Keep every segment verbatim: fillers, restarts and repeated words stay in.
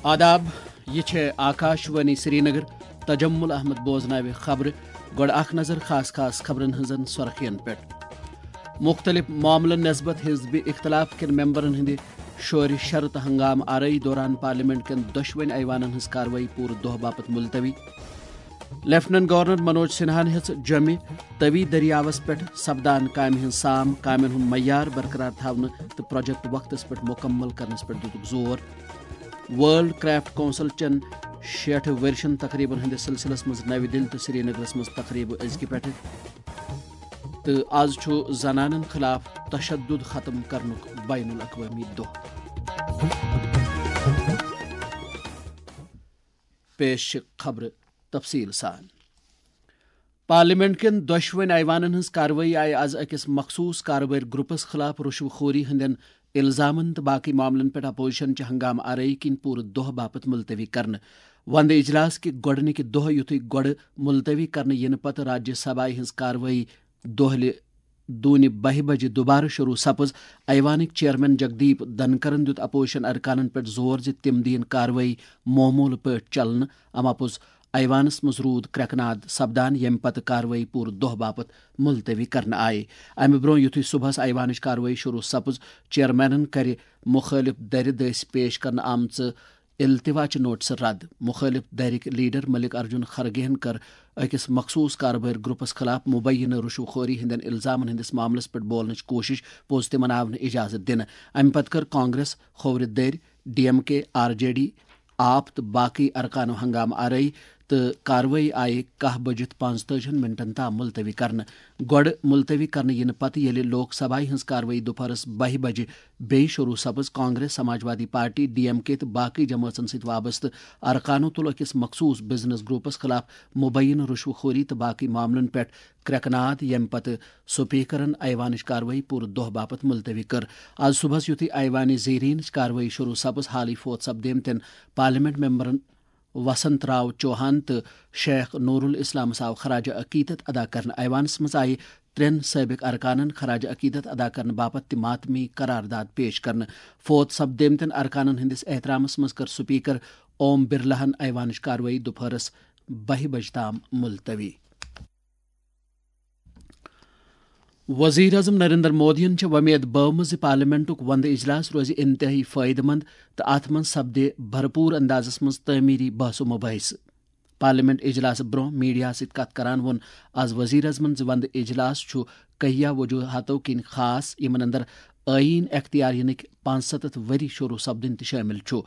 آداب، یہِ چھےٚ آکاش وانی سرینگر۔ تجمل احمد بوزناوِ خبرٕ۔ گۄڈٕ اکھ نظر خاص خاص خبرن ہٕنٛزن سۄرخین پٮ۪ٹھ۔ مُختٔلِف معاملن نسبت حزبِ اختلاف کٮ۪ن ممبرن ہٕنٛدِ شورِ شر تہٕ ہنگامہٕ آرٲیی دوران پارلیمنٹ کٮ۪ن دۄشوٕنۍ ایوانن ہٕنٛز کاروٲیی پوٗرٕ دۄہ باپتھ ملتوی۔ لیفٹیننٹ گورنر منوج سنہاہن ہیٚژ جوٚمہِ توی دٔریاوس پٮ۪ٹھ سپدان کامہِ ہٕنٛز سام، کامٮ۪ن ہُنٛد معیار برقرار تھاونہٕ تہٕ پروجیکٹ وقتس پٮ۪ٹھ مُکمل کرنس پٮ۪ٹھ دِتُکھ زور۔ ورلڈ کرافٹ کونسل چٮ۪ن شیٹھ ؤرشن تقریبن ہٕنٛدِس سلسلس منٛز نَوِ دِلہِ تہٕ سرینگرس منٛز تقریبہٕ أزکہِ پٮ۪ٹھٕ۔ تہٕ آز چھُ زنانن خلاف تشدد ختم کرنُک بین الاقوٲمی دۄہ۔ پیش چھِ خبرٕ تفصیٖل سان۔ پارلیمنٹ کٮ۪ن دۄشوٕنۍ ایوانن ہٕنٛز کاروٲیی آیہِ از أکِس مخصوٗص کاربٲرۍ گروپس خلاف رُشوٕ خوری ہٕنٛدٮ۪ن الزامن تہٕ باقٕے معاملن پٮ۪ٹھ اپوزیشن چہِ ہنگامہٕ آرٲیی کِنۍ پوٗرٕ دۄہ باپتھ ملتوی کرنہٕ۔ وندٕ اجلاس کہِ گۄڈٕنِکہِ دۄہ یُتھُے گۄڈٕ ملتوی کرنہٕ یِنہٕ پتہٕ راجیہ سبھایہ ہٕنٛز کاروٲیی دۄہلہِ دوٗنہِ بَہہِ بجہِ دوبارٕ شروع سپٕز، ایوانٕکۍ چیئرمین جگدیپ دھنکرن دیُت اپوزیشن ارکانن پٮ۪ٹھ زور زِ تِم دِیِن کاروٲیی معموٗلہٕ پٲٹھۍ چلنہٕ۔ اما پوٚز ایوانس منٛز روٗد کرٛٮ۪کہٕ ناد سپدان، ییٚمہِ پتہٕ کاروٲیی پوٗرٕ دۄہ باپتھ ملتوی کرنہٕ آیہِ۔ امہِ برٛونٛہہ یُتھُے صبحس ایوانٕچ کاروٲیی شروع سپٕز، چیئرمینن کرِ مُخٲلف دَرِ دٔسۍ پیش کرنہٕ آمژٕ التوا چہِ نوٹسہٕ رد۔ مُخٲلف دَرِکۍ لیڈر ملک ارجن خرگے ہن کٔر أکِس مخصوٗص کاربٲرۍ گروپس خلاف مبینہ رُشوٕ خوری ہٕنٛدٮ۪ن الزامن ہٕنٛدِس معاملس پٮ۪ٹھ بولنٕچ کوٗشش، پوٚز تِمن آو نہٕ اجازت دِنہٕ۔ امہِ پتہٕ کٔر کانگریس، کھوورِ دٔرۍ، ڈی ایم کے، آر جے ڈی، آپ تہٕ باقٕے ارکانو ہنگامہٕ آرٲیی تہٕ کاروٲیی آیہِ کاہ بٔجِتھ پانٛژتٲجِہن منٹن تام ملتوی کرنہٕ۔ گۄڈٕ ملتوی کرنہٕ یِنہٕ پتہٕ ییٚلہِ لوک سبھایہ ہٕنٛز کاروٲیی دُپہرس بَہہِ بجہِ بیٚیہِ شروع سپٕز، Congress, Samajwadi party, D M K تہٕ باقٕے جمٲژن سۭتۍ وابستہٕ ارکانو تُل أکِس مخصوٗص بزنس گروپس خلاف مبینہ رُشوٕ خوری تہٕ باقٕے معاملن پٮ۪ٹھ کرٛٮ۪کہٕ ناد، ییٚمہِ پتہٕ سپیکرن ایوانٕچ کاروٲیی پوٗرٕ دۄہ باپتھ ملتوی کٔر۔ از صبحس یُتھُے ایوانِ زیرینٕچ کاروٲیی شروع سپٕز، حالٕے فوت سپدیمتٮ۪ن پارلیمنٹ ممبرن وسنت راو چوہان تہٕ شیخ نور الاسلامس آو خراج عقیدت ادا کرنہٕ۔ ایوانس منٛز آیہِ ترٛٮ۪ن سٲبق ارکانن خراج عقیدت ادا کرنہٕ باپتھ تہِ ماتمی قرارداد پیش کرنہٕ۔ فوت سپدیمتٮ۪ن ارکانن ہٕنٛدِس احترامس منٛز کٔر سپیکر اوم برلاہن ایوانٕچ کاروٲیی دُپہرس بَہہِ بجہِ تام ملتوی۔ وزیر اعظم نریندر مودیَن چھےٚ وۄمید بٲومٕژ زِ پارلیمنٹُک وندٕ اجلاس روزِ انتہٲئی فٲیدٕ مند تہٕ اتھ منٛز سپدِ بھرپور اندازس منٛز تعمیری بحث و مباحثہٕ۔ پارلیمنٹ اجلاسہٕ برٛونٛہہ میڈیاہَس سۭتۍ کتھ کران ووٚن از وزیر اعظمن زِ وندٕ اجلاس چھُ کہیا وجوہاتو کِنۍ خاص، یِمن اندر آئین اختیار یِنٕکۍ پانٛژستتھ ؤری شروع سپدٕنۍ تہِ شٲمِل چھُ۔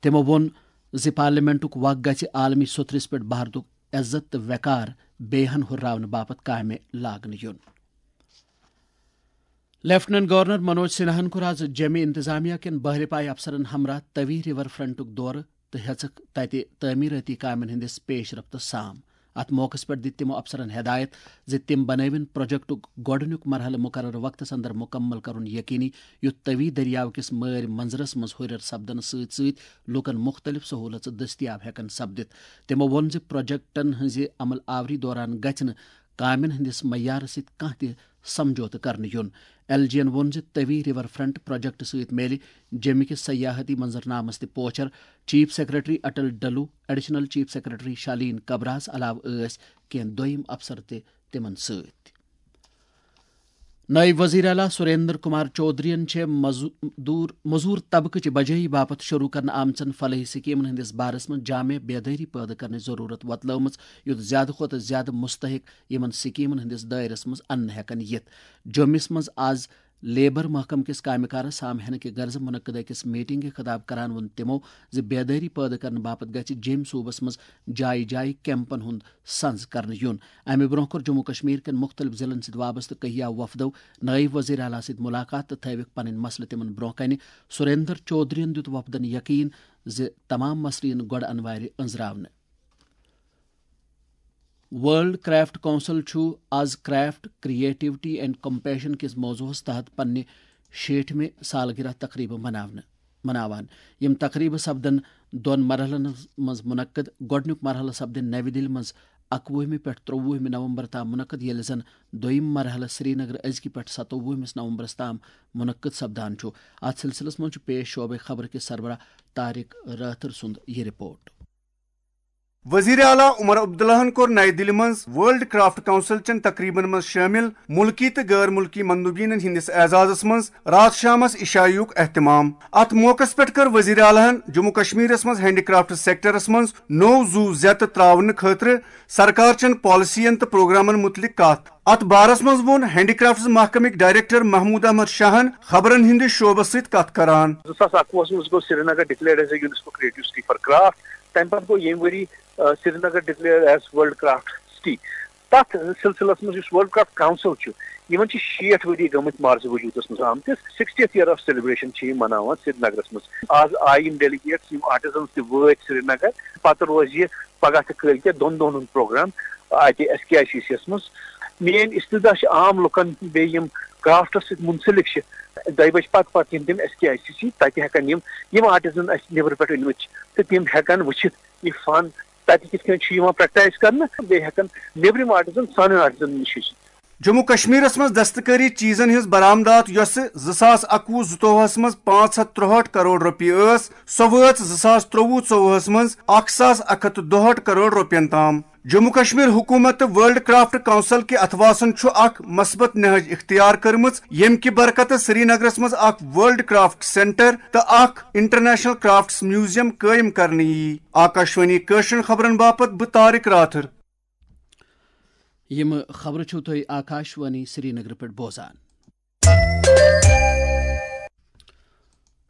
تِمو ووٚن زِ پارلیمنٹُک وق گژھِ عالمی سوٚتھرِس پٮ۪ٹھ بھارتُک عزت تہٕ وقار بیٚیہِ ہن ہُرراونہٕ باپتھ کامہِ لاگنہٕ یُن۔ لیفٹیننٹ گورنر منوج سنہاہن کوٚر از جیمہِ انتظامیہ کٮ۪ن بحرِ پایہِ افسرن ہمراہ توی ریور فرنٹُک دورٕ تہٕ ہیٚژٕکھ تتہِ تعمیرٲتی کامٮ۪ن ہٕنٛدِس پیش رفتس سام۔ اتھ موقعس پٮ۪ٹھ دِتۍ تِمو افسرن ہدایت زِ تِم بنٲوِن پروجیکٹُک گۄڈٕنیُک مرحلہٕ مقررٕ وقتس اندر مکمل کرُن یقینی، یُتھ توی دٔریاو کِس مٲرۍ منظرس منٛز ہُرٮ۪ر سپدنہٕ سۭتۍ سۭتۍ لوٗکن مُختٔلِف سہوٗلژٕ دٔستیاب ہٮ۪کن سپدِتھ۔ تِمو ووٚن زِ پروجیکٹن ہٕنٛزِ عمل آوری دوران گژھِ نہٕ کامٮ۪ن ہٕنٛدِس معیارس سۭتۍ کانٛہہ تہِ سمجھوتہٕ کرنہٕ یُن۔ ایل جی ین ووٚن زِ توی ریور فرنٹ پروجیکٹ سۭتۍ میلہِ جیمہِ کِس سیاحتی منظرنامس تہِ پوچھر۔ Chief secretary Atal Dulloo, additional chief secretary Shaleen کبراہس علاوٕ ٲسۍ کینٛہہ دوٚیم افسر تہِ تِمن سۭتۍ۔ نٲیِب وزیر اعلیٰ سریندر کمار چودھرین چھےٚ مزدور، مزور طبقہٕ چہِ بجٲیی باپتھ شروع کرنہٕ آمژن فلاحی سکیمن ہٕنٛدِس بارس منٛز جامع بیدٲری پٲدٕ کرنٕچ ضروٗرت وۄتلٲومٕژ، یُتھ زیادٕ کھۄتہٕ زیادٕ مستحق یِمن سکیمن ہٕنٛدِس دٲیرس منٛز اننہٕ ہٮ۪کن یِتھ۔ جوٚمِس منٛز از لیبر محکمہٕ کِس کامہِ کارس سام ہینہٕ کہِ غرضہٕ منعقد أکِس میٹنگہِ خطاب کران ووٚن تِمو زِ بیدٲری پٲدٕ کرنہٕ باپتھ گژھِ جیٚمۍ صوبس منٛز جایہِ جایہِ کیمپن ہُنٛد سنز کرنہٕ یُن۔ امہِ برونٛہہ کوٚر جموں کشمیر کٮ۪ن مُختٔلِف ضلعن سۭتۍ وابستہٕ کہیا وفدو نٲیِب وزیر اعلیٰ سۭتۍ مُلاقات تہٕ تھٲوِکھ پنٕنۍ مسلہٕ تِمن برونٛہہ کنہِ۔ سُریندر چودھرین دیُت وفدن یقین زِ تمام مسلہٕ یِن گۄڈٕ انوارِ أنٛزراونہٕ۔ ورلڈ کرافٹ کونسل چھُ از کرافٹ، کریٹیوٹی اینڈ کمپیشن کِس موضوعس تحت پننہِ شیٹھمہِ سالگرہ تقریبہٕ مناونہٕ، مناوان۔ یِم تقریبہٕ سپدن دۄن مرحلن منٛز منعقد۔ گۄڈٕنیُک مرحلہٕ سپدِ نَوِ دِلہِ منٛز اَکوُہمہِ پٮ۪ٹھ ترٛۆوُہمہِ نومبر تام منعقد، ییٚلہِ زن دوٚیِم مرحلہٕ سرینگر أزکہِ پٮ۪ٹھ ستووُہمِس نومبرس تام منعقد سپدان چھُ۔ اتھ سلسلس منٛز چھُ پیش شعبے خبر کِس سربراہ طارق رٲتھر سُنٛد یہِ رپورٹ۔ وزیر اعلیٰ عمر عبداللہن کوٚر نَیہِ دِلہِ منٛز ورلڈ کرافٹ کونسل چٮ۪ن تقریبن منٛز شٲمِل مُلکی تہٕ غٲر مُلکی مندوبینن ہٕنٛدِس اعزازس منٛز راتھ شامس عشایُک اہتمام۔ اتھ موقعس پٮ۪ٹھ کٔر وزیر اعلیٰ ہن جموں کشمیرس منٛز ہینڈی کرافٹ سیکٹرس منٛز نوٚو زُو زیتہٕ تراونہٕ خٲطرٕ سرکار چٮ۪ن پالیسین تہٕ پروگرامن مُتعلق کتھ۔ اتھ بارس منٛز ووٚن ہینڈی کرافٹس محکمٕکۍ ڈائریکٹر محمود احمد شاہن خبرن ہٕنٛدِس شعبس سۭتۍ کتھ کران۔ زٕ ساس اکوُہس منٛز گوٚو Srinagar declared as a UNESCO creative city for craft۔ تَمہِ پتہٕ گوٚو ییٚمہِ ؤری، آ، Srinagar declared as world craft city۔ تَتھ سلسلس منٛز یُس ورلڈ کرافٹ کونسل چھُ، یِمن چھِ شیٹھ ؤری گٔمٕتۍ مارزِ وجوٗدس منٛز آمتِس۔ Sixtieth year of celebration چھِ یِم مناوان سرینگرس منٛز۔ آز آیہِ یِم ڈیلیگیٹس، یِم آرٹیزنس تہِ وٲتۍ سرینگر۔ پتہٕ روزِ یہِ پگاہ تہٕ کٲلۍ کٮ۪تھ دۄن دۄہن ہُنٛد پروگرام اتہِ S K I C C یس منٛز۔ میٲنۍ استدعا چھِ عام لُکن، بیٚیہِ یِم کرافٹس سۭتۍ منسلک چھِ، دۄیہِ بجہِ پتہٕ پتہٕ یِن تِم S K I C C, تتہِ ہٮ۪کن یِم، یِم آرٹیزن اسہِ نیبرٕ پٮ۪ٹھ أنمٕتۍ چھِ، تہٕ تِم ہٮ۪کن وٕچھِتھ یہِ فن تتہِ کِتھ کٔنۍ چھُ یِوان پریکٹائز کرنہٕ، بیٚیہِ ہٮ۪کن نیبرِم آرٹیزن سانٮ۪ن آرٹیزن نِش ہیٚچھِتھ۔ جموں کشمیرس منٛز دستکٲری چیزن ہٕنٛز برآمدات، یۄسہٕ زٕ ساس اکوُہ زٕتووُہس منٛز پانٛژھ ہتھ ترٛہٲٹھ کرور رۄپیہِ ٲس، سۄ وٲژ زٕ ساس ترٛۆوُہ ژۄوُہس منٛز اکھ ساس اکھ ہتھ تہٕ دُہٲٹھ کرور رۄپین تام۔ جموں کشمیر حکومت تہٕ ورلڈ کرافٹ کونسل کہِ اتھواسن چھُ اکھ مثبت نہج اختیار کٔرمٕژ، ییٚمہِ کہِ برکتہٕ سرینگرس منٛز اکھ ورلڈ کرافٹ سینٹر تہٕ اکھ انٹرنیشنل کرافٹس میوزیم قٲیِم کرنہٕ یِیہِ۔ آکاشوانی کٲشرٮ۪ن خبرن باپتھ بہٕ طارق راتھر۔ یِم خبرٕ چھِو تُہۍ آکاشوانی سرینگرٕ پٮ۪ٹھ بوزان۔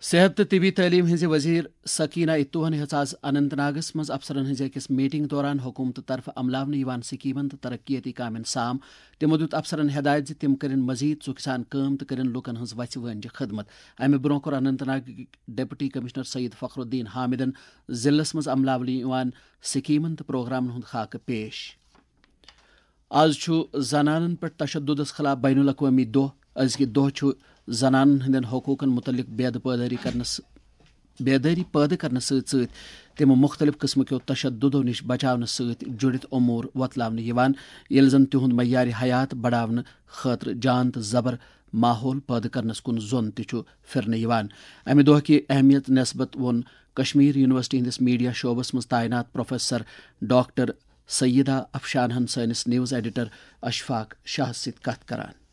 صحت تہٕ طبی تعلیٖم ہٕنٛزِ وزیر سکینہ اتوہن ہیٚژ آز اننت ناگس منٛز افسرن ہٕنٛزِ أکِس میٹنگ دوران حکومتہٕ طرفہٕ عملاونہٕ یِوان سکیمن تہٕ ترقیتی کامٮ۪ن سام۔ تِمو دیُت افسرن ہدایت زِ تِم کٔرِن مزید ژُکھِ سان کٲم تہٕ کٔرِن لوٗکن ہٕنٛز وَژھِ وٲنجہِ خدمت۔ امہِ برٛونٛہہ کوٚر اننت ناگ ڈپٹی کمشنر سید فخر الدین حامدن ضلعس منٛز عملاونہٕ یِوان سکیمن تہٕ پروگرامن ہُنٛد خاکہٕ پیش۔ آز چھُ زنانن پٮ۪ٹھ تشددس خلاف بین الاقوٲمی دۄہ۔ أزکہِ دۄہ چھُ زنانن ہٕنٛدٮ۪ن حقوٗقن مُتعلق بیدٕ پٲدٲری کرنس، بیدٲری پٲدٕ کرنس سۭتۍ سۭتۍ تِم مُختٔلِف قٕسمہٕ کیو تشددو نِش بچاونس سۭتۍ جُڑِتھ امور وۄتلاونہٕ یِوان، ییٚلہِ زن تِہُنٛد معیارِ حیات بڑاونہٕ خٲطرٕ جان تہٕ زبر ماحول پٲدٕ کرنس کُن زوٚن تہِ چھُ پھِرنہٕ یِوان۔ امہِ دۄہ کہِ اہمیت نسبت ووٚن کشمیر یونیورسٹی ہٕنٛدِس میڈیا شعبس منٛز تعینات پروفیسر ڈاکٹر سیدہ افشانہن سٲنِس نیوز ایڈیٹر اشفاق شاہس سۭتۍ کتھ کران۔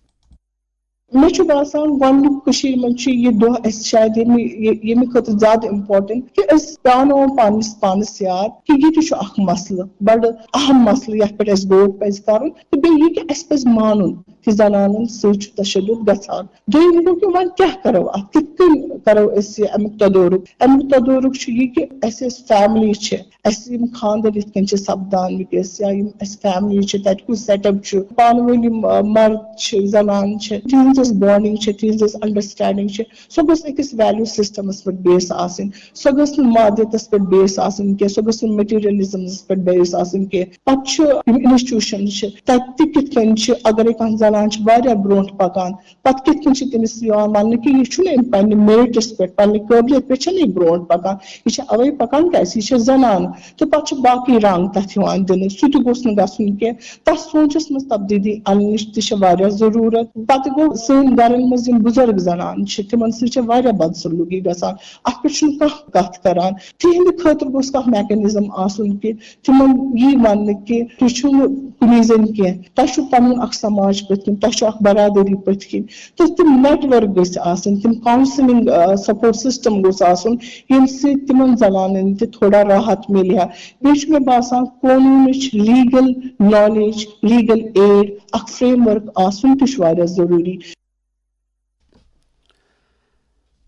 مےٚ چھُ باسان، گۄڈٕنیُک کٔشیٖرِ منٛز چھُ یہِ دۄہ اَسہِ شاید ییٚمہِ، یہِ، ییٚمہِ خٲطرٕ زیادٕ important کہِ أسۍ پاناوو پانَس پانَس یاد کہِ یہِ تہِ چھُ اکھ مسلہٕ، بڑٕ اہم مسلہٕ، یَتھ پٮ۪ٹھ اَسہِ غور پَزِ کَرُن۔ تہٕ بیٚیہِ یہِ کہِ اَسہِ پَزِ مانُن کہِ زنانن سۭتۍ چھُ تشدد گژھان۔ دوٚیِم گوٚو کہِ وۄنۍ کیٛاہ کَرو اَتھ، کِتھ کٔنۍ کَرو أسۍ یہِ اَمیُک تدورُک؟ اَمیُک تدورُک چھُ یہِ کہِ اَسہِ یۄس family چھِ، اَسہِ یِم خانٛدر یِتھ کٔنۍ چھِ سپدان وٕنکیٚس، یا یِم اَسہِ family چھِ، تَتہِ کُس setup چھُ، پانہٕ ؤنۍ یِم، آ، مرد چھِ، زنان چھِ، تِہنٛز یۄس bonding چھِ، تِہنٛز یۄس understanding چھِ، سۄ گٔژھ أکِس value systemس پٮ۪ٹھ base آسٕنۍ۔ سۄ گٔژھ نہٕ مادیتس پٮ۪ٹھ base آسٕنۍ کینٛہہ، سۄ گٔژھ نہٕ materialismس پٮ۪ٹھ base آسٕنۍ کینٛہہ۔ پتہٕ چھُ یِم institutions چھِ، تَتہِ تہِ کِتھ کٔنۍ چھِ، اگرے کانٛہہ زنان چھِ واریاہ برونٛٹھ پکان، پتہٕ کِتھ کٔنۍ چھِ تٔمِس یِوان وننہٕ کہِ یہِ چھُنہٕ أمۍ پننہِ meritس پٮ۪ٹھ، پننہِ قٲبلیت پٮ۪ٹھ چھَنہٕ یہِ برونٛٹھ پکان، یہِ چھِ اوے پکان کیازِ یہِ چھےٚ زنان۔ تہٕ پتہٕ چھُ باقٕے رنگ تتھ یِوان دِنہٕ، سُہ تہِ گوٚژھ نہٕ گژھُن کینٛہہ۔ تتھ سونچس منٛز تبدیلی اننٕچ تہِ چھِ واریاہ ضروٗرت۔ پتہٕ گوٚو سٲنۍ گرن منٛز یِم بُزرگ زنانہٕ چھِ، تِمن سۭتۍ چھےٚ واریاہ بدسلوٗکی گژھان، اتھ پٮ۪ٹھ چھُنہٕ کانٛہہ کتھ کران۔ تِہنٛدِ خٲطرٕ گوٚژھ کانٛہہ mechanism آسُن کہِ تِمن یی وننہٕ کہِ تُہۍ چھِو نہٕ کُنی زٔنۍ کینٛہہ، تۄہہِ چھُو پنُن اکھ سماج پٔتۍ کِنۍ، تۄہہِ چھُو اکھ برادری پٔتۍ کِنۍ۔ تہٕ تِم network گٔژھۍ آسٕنۍ، تِم counselling، آ، support system گوٚژھ آسُن، ییٚمہِ سۭتۍ تِمن زنانن تہِ تھوڑا راحت میلہِ ہا۔ بیٚیہِ چھُ مےٚ باسان قونوٗنٕچ legal knowledge، legal aid، اکھ framework آسُن تہِ چھُ واریاہ ضروٗری۔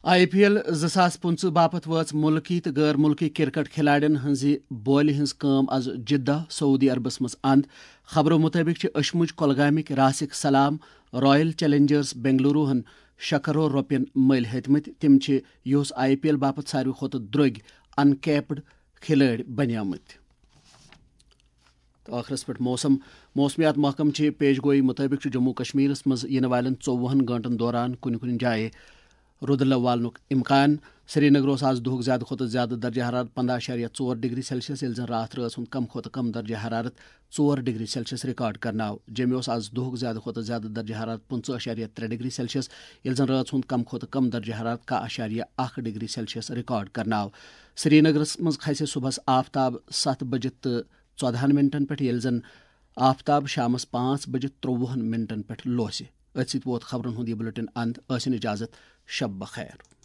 آئی پی ایل زٕ ساس پٕنٛژٕہ باپتھ وٲژ مُلکی تہٕ غٲر مُلکی کرکٹ کھلاڑٮ۪ن ہٕنٛزِ بولہِ ہٕنٛز کٲم از جدہ، سعودی عربس منٛز اند۔ خبرو مُطٲبِق چھِ أشمُج کۄلگامٕکۍ راسِک سلام رائل چیلنجرز بنگلورو ہن شےٚ کرور رۄپین مٔلۍ ہیٚتمٕتۍ۔ تِم چھِ یُہُس آئی پی ایل باپتھ ساروی کھۄتہٕ درٛوگۍ uncapped کھلٲڑۍ بنیمٕتۍ۔ تہٕ ٲخرس پٮ۪ٹھ موسم۔ موسمیات محکمہٕ چہِ پیش گویی مُطٲبِق چھُ جموں کشمیرس منٛز یِنہٕ والٮ۪ن ژوٚوُہن گٲنٛٹن دوران کُنہِ کُنہِ جایہِ رُدٕ لٲو والنُک امکان۔ سرینگر اوس آز دُہُک زیادٕ کھۄتہٕ زیادٕ درجہ حرارت پنٛداہ اَشاریہ ژور ڈگری سیلسیس، ییٚلہِ زَن راتھ رٲژ ہُنٛد کم کھۄتہٕ کم درجہ حرارت ژور ڈگری سیلسیس ریکارڈ کرنہٕ آو۔ جوٚمہِ اوس آز دُہُک زیادٕ کھۄتہٕ زیادٕ درجہ حرارت پٕنٛژٕہ اَشاریہ ترٛےٚ ڈگری سیلسیس، ییٚلہِ زَن رٲژ ہُنٛد کم کھۄتہٕ کم درجہ حرارت کاہ اَشاریہ اَکھ ڈگری سیلسیس ریکارڈ کرنہٕ آو۔ سرینگرس منٛز کھسہِ صُبحس آفتاب ستھ بجہِ تہٕ ژۄدہن منٹن پٮ۪ٹھ، ییٚلہِ زَن آفتاب شامس پانٛژھ بجہِ ترٛۆوُہن منٹن پٮ۪ٹھ لوسہِ۔ أتھۍ سۭتۍ ووت خبرن ہُنٛد یہِ بُلٹن اند۔ ٲسِن اجازت، شب بخیر۔